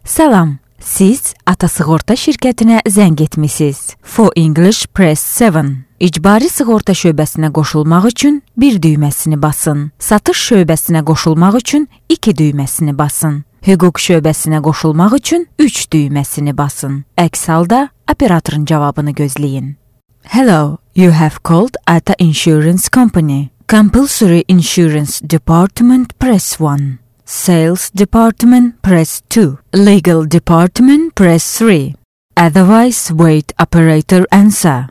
Salam, siz Ata Sığorta şirkətinə zəng etmisiniz. For English press 7. İcbari sığorta şöbəsinə qoşulmaq üçün 1 düyməsini basın. Satış şöbəsinə qoşulmaq üçün 2 düyməsini basın. Hüquq şöbəsinə qoşulmaq üçün 3 düyməsini basın. Əks halda operatorun cavabını gözləyin. Hello, you have called Ata Insurance Company. Compulsory Insurance Department press 1. Sales Department press 2. Legal Department press 3. Otherwise wait operator answer.